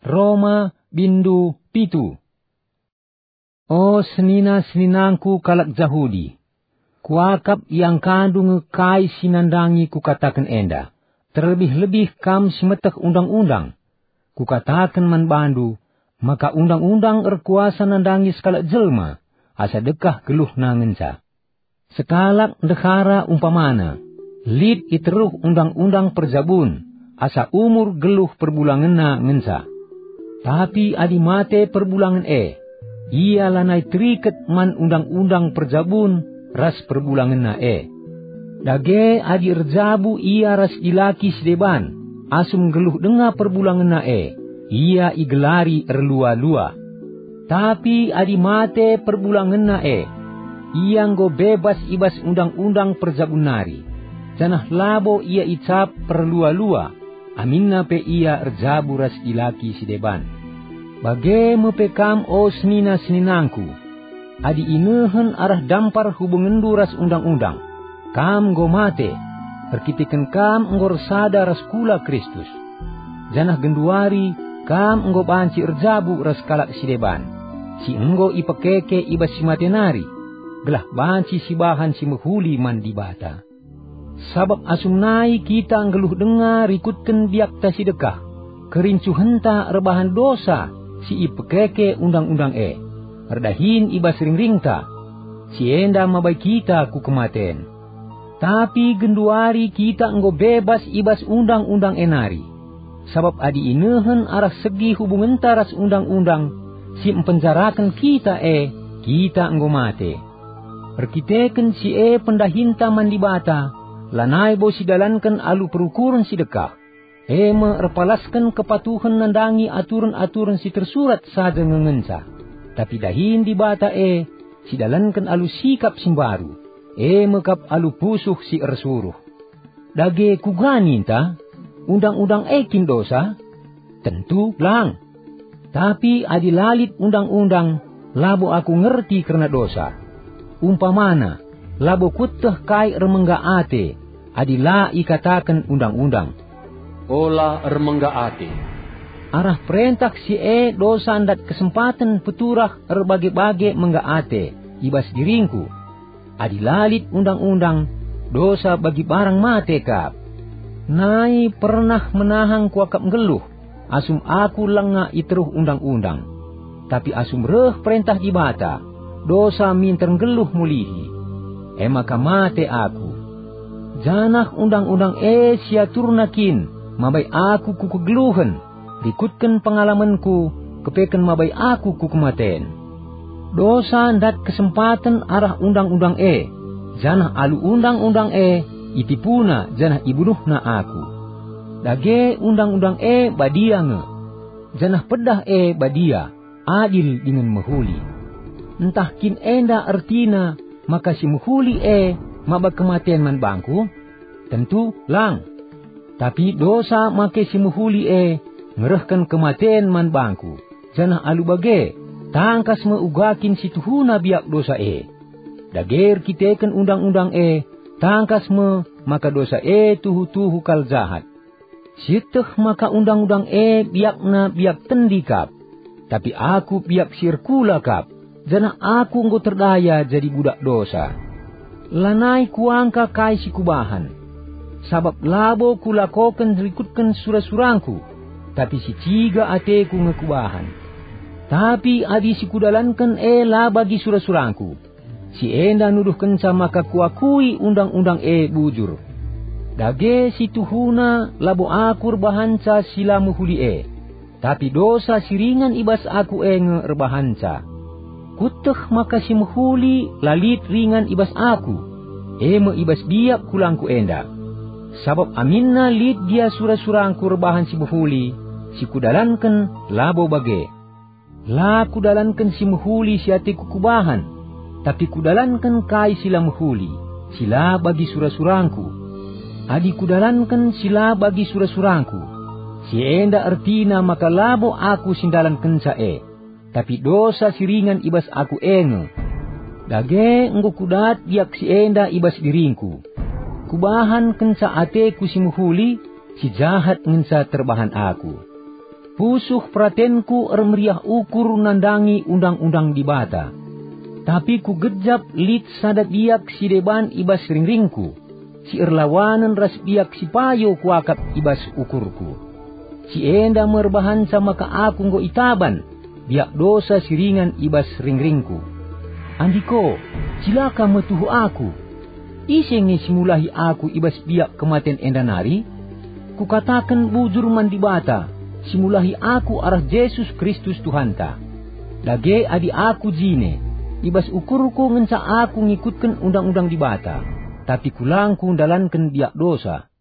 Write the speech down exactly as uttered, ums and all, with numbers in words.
Roma, bindu pitu. O senina-seninangku kalak Jahudi, kuakap iangkandu nge kai si nandangi kukataken enda, terlebih-lebih kam si meteh undang-undang. Kukataken man bandu, maka undang-undang erkuasa nandangi sekalak jelma, asa dekah geluhna ngenca. Sekalak ndehara umpamana, lit i teruh undang-undang perjabun, asa umur geluh perbulangenna ngenca. Tapi adi mate perbulangen e, ia lanai teriket man undang-undang perjabun ras perbulangenna e. Dage adi erjabu ia ras dilaki si deban, asum nggeluh denga perbulangenna e, ia igelari erlua-lua. Tapi adi mate perbulangenna e, ia enggo bebas i bas undang-undang perjabun nari, janah labo ia icap perlua-lua, aminna pe ia erjabu ras dilaki si deban. Bage me pe kam, o senina-seninangku, adi inehen arah dampar hubungenndu ras undang-undang, kam enggo mate, erkiteken kam enggo ersada ras kula Kristus. Janah genduari kam enggo banci erjabu ras kalak si deban, si enggo ipekeke i bas si mate nari, gelah banci sibahan si mehuli man Dibata. Sabap asum nai kita nggeluh denga rikutken biakta si dekah, kerincuhenta erbahan dosa si ipekeke undang-undang e, erdahin i bas ringringta, si enda mabai kita ku kematen. Tapi genduari kita enggo bebas i bas undang-undang e nari. Sabap adi inehen arah segi hubungenta ras undang-undang si mpenjaraken kita e, kita enggo mate. Erkiteken si e pendahinta man Dibata, lanai bo sidalanken alu perukuren si dekah, e me erpalasken kepatuhen nandangi aturen-aturen si tersurat saja nge ngenca. Tapi dahin Dibata e sidalanken alu sikap si mbaru, e me kap alu pusuh si ersuruh. Dage kuga ninta? Undang-undang e kin dosa? Tentu lang! Tapi adi la lit undang-undang, labo aku ngerti kerna dosa. Umpamana, labo kueteh kai ermengga ate, adi la ikataken undang-undang, "Ola ermengga ate." Arah perentah si e dosa ndat kesempaten peturah erbage-bage mengga ate i bas diringku. Adi la lit undang-undang, dosa bagi barang mate kap. Nai pernah menahang kuakap nggeluh, asum aku langa i teruh undang-undang. Tapi asum reh perentah Dibata, dosa minter nggeluh mulihi. E maka mate aku. Janah undang-undang e siaturna kin mabai aku ku kegeluhen, rikutken pengalamenku, kepeken mabai aku ku kematen. Dosa ndat kesempaten arah undang-undang e, janah alu undang-undang e itipuna janah ibunuhna aku. Dage undang-undang e badia nge, janah pedah e badia, adil dingen mehuli. Ntah kin enda ertina maka si mehuli e maba kematen man bangku? Tentu lang! Tapi dosa make si mehuli e ngerehken kematen man bangku, janah alu bage, tangkas me uga kin si tuhuna biak dosa e. Dage erkiteken undang-undang e, tangkas me maka dosa e tuhu-tuhu kal jahat. Sieteh maka undang-undang e biakna biak tendi kap, tapi aku biak si erkula kap, janah aku enggo terdaya jadi budak dosa. Lanai kuangka kai si kubahan, sabap labo kulakoken rikutken sura-surangku, tapi si ciga ateku nge kubahan. Tapi adi si kudalanken e la bagi sura-surangku, si enda nuduhkenca maka kuakui undang-undang e bujur. Dage si tuhuna labo aku erbahanca si la mehuli e, tapi dosa si ringan i bas aku e nge erbahanca. Kueteh maka si mehuli la lit ringan i bas aku, e me i bas biak kulangku enda. Sabap aminna lit gia sura-surangku erbahan si mehuli, si kudalanken labo bage. La kudalanken si mehuli si ateku kubahan, tapi kudalanken kai si la mehuli, si la bagi sura-surangku. Adi kudalanken si la bagi sura-surangku, si enda ertina maka labo aku si ndalankenca e, tapi dosa si ringan i bas aku e nge. Dage enggo kudat biak si enda i bas diringku. Kubahan kenca ateku si mehuli, si jahat ngenca terbahan aku. Pusuh peratenku ermeriah ukur nandangi undang-undang Dibata. Tapi kugejap lit sada biak si deban i bas ringringku, si erlawanen ras biak si payo kuakap i bas ukurku. Si enda me erbahanca maka aku enggo itaban biak dosa si ringan i bas ringringku. Andiko, cilaka me tuhu aku! Ise nge si mulahi aku i bas biak kematen enda nari? Kukataken bujur man Dibata, si mulahi aku arah Jesus Kristus Tuhanta. Dage adi aku jine, i bas ukurku ngenca aku ngikutken undang-undang Dibata, tapi kulangku ndalanken biak dosa.